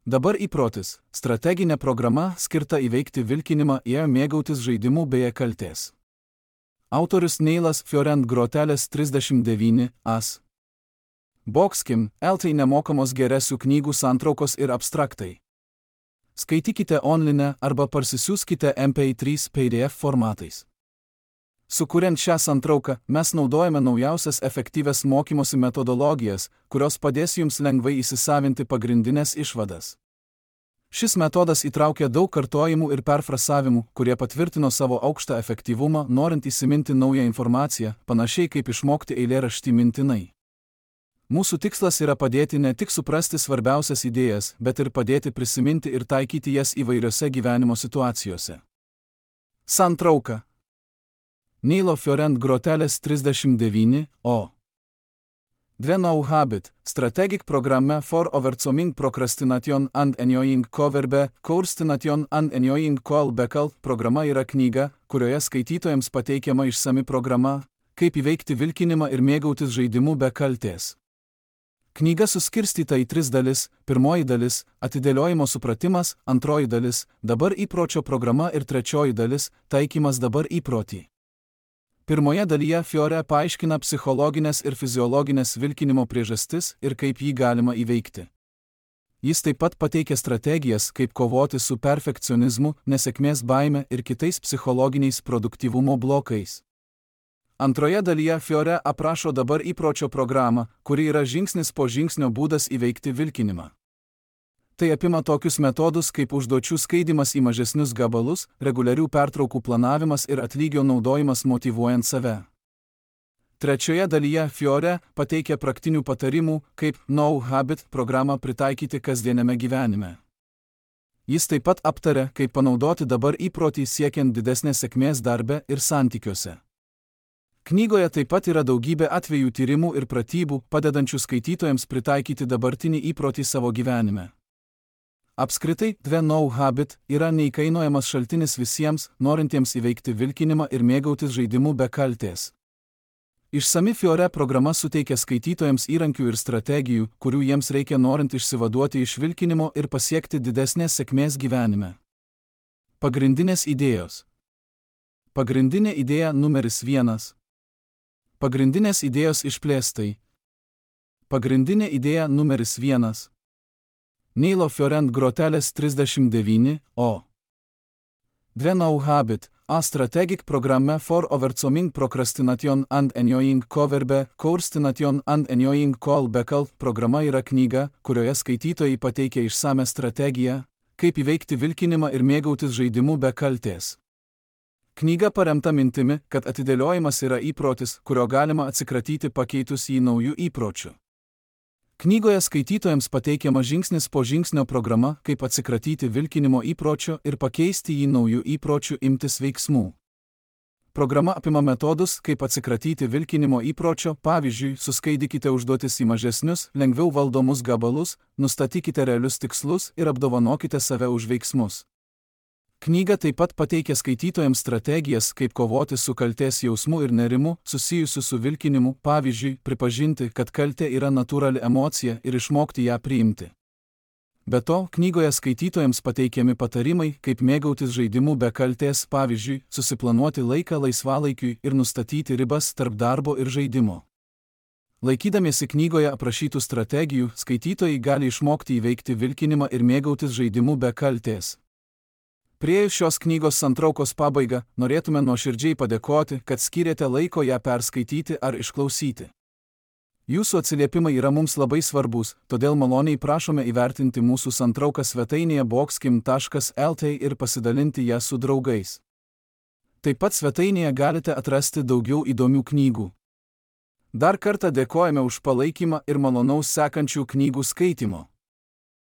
Dabar įprotis – strateginė programa skirta įveikti vilkinimą ir mėgautis žaidimu be kaltės. Autorius Neilas Fiorent Grotelis 39 as. Boxkim LT nemokamos geresių knygų santraukos ir abstraktai. Skaitykite online arba parsisiųskite MP3 PDF formatais. Sukuriant šią santrauką, mes naudojame naujausias efektyvias mokymosi metodologijas, kurios padės jums lengvai įsisavinti pagrindinės išvadas. Šis metodas įtraukia daug kartojimų ir perfrasavimų, kurie patvirtino savo aukštą efektyvumą, norint įsiminti naują informaciją, panašiai kaip išmokti eilėraštį mintinai. Mūsų tikslas yra padėti ne tik suprasti svarbiausias idėjas, bet ir padėti prisiminti ir taikyti jas įvairiose gyvenimo situacijose. Santrauka. Neilo Fiorent Grotelis 39 o. No Habit, Strategic Programme for Overcoming Procrastination and Enjoying Coverbe, Courstination and Enjoying Callback programa yra knyga, kurioje skaitytojams pateikiama išsami programa, kaip įveikti vilkinimą ir mėgautis žaidimu be kaltės. Knyga suskirstyta į 3 dalis: pirmoji dalis – atidėliojimo supratimas, antroji dalis – dabar įpročio programa ir trečioji dalis – taikymas dabar įprotį. Pirmoje dalyje Fiore paaiškina psichologinės ir fiziologinės vilkinimo priežastis ir kaip jį galima įveikti. Jis taip pat pateikia strategijas, kaip kovoti su perfekcionizmu, nesėkmės baime ir kitais psichologiniais produktyvumo blokais. Antroje dalyje Fiore aprašo dabar įpročio programą, kuri yra žingsnis po žingsnio būdas įveikti vilkinimą. Tai apima tokius metodus kaip užduočių skaidymas į mažesnius gabalus, reguliarių pertraukų planavimas ir atlygio naudojimas motyvuojant save. Trečioje dalyje Fiore pateikia praktinių patarimų, kaip No Habit programą pritaikyti kasdieniame gyvenime. Jis taip pat aptaria, kaip panaudoti dabar įprotį siekiant didesnės sėkmės darbe ir santykiuose. Knygoje taip pat yra daugybė atvejų tyrimų ir pratybų, padedančių skaitytojams pritaikyti dabartinį įprotį savo gyvenime. Apskritai, No Habit yra neįkainojamas šaltinis visiems, norintiems įveikti vilkinimą ir mėgautis žaidimu be kaltės. Išsami Fiore programa suteikia skaitytojams įrankių ir strategijų, kurių jiems reikia norint išsivaduoti iš vilkinimo ir pasiekti didesnės sėkmės gyvenime. Pagrindinės idėjos. Pagrindinė idėja numeris 1. Pagrindinės idėjos išplėstai. Pagrindinė idėja numeris 1. Neilo Fiorent Grotelis 39 o. No Habit, a Strategic Programme for Overcoming Procrastination and Enjoying Coverbe, Courstination and Enjoying Callback programa yra knyga, kurioje skaitytojai pateikia išsame strategiją, kaip įveikti vilkinimą ir mėgautis žaidimu be kaltės. Knyga paremta mintimi, kad atidėliojimas yra įprotis, kurio galima atsikratyti pakeitus jį naujų įpročių. Knygoje skaitytojams pateikiama žingsnis po žingsnio programa, kaip atsikratyti vilkinimo įpročio ir pakeisti jį naujų įpročių imtis veiksmų. Programa apima metodus, kaip atsikratyti vilkinimo įpročio, pavyzdžiui, suskaidykite užduotis į mažesnius, lengviau valdomus gabalus, nustatykite realius tikslus ir apdovanokite save už veiksmus. Knyga taip pat pateikia skaitytojams strategijas, kaip kovoti su kaltės jausmu ir nerimu, susijusiu su vilkinimu, pavyzdžiui, pripažinti, kad kaltė yra natūrali emocija ir išmokti ją priimti. Be to, knygoje skaitytojams pateikiami patarimai, kaip mėgautis žaidimu be kaltės, pavyzdžiui, susiplanuoti laiką laisvalaikiui ir nustatyti ribas tarp darbo ir žaidimo. Laikydamiesi knygoje aprašytų strategijų, skaitytojai gali išmokti įveikti vilkinimą ir mėgautis žaidimu be kaltės. Priėjus šios knygos santraukos pabaigą, norėtume nuoširdžiai padėkoti, kad skyrėte laiko ją perskaityti ar išklausyti. Jūsų atsiliepimai yra mums labai svarbus, todėl maloniai prašome įvertinti mūsų santrauką svetainėje boxkim.lt ir pasidalinti ją su draugais. Taip pat svetainėje galite atrasti daugiau įdomių knygų. Dar kartą dėkojame už palaikymą ir malonaus sekančių knygų skaitymo.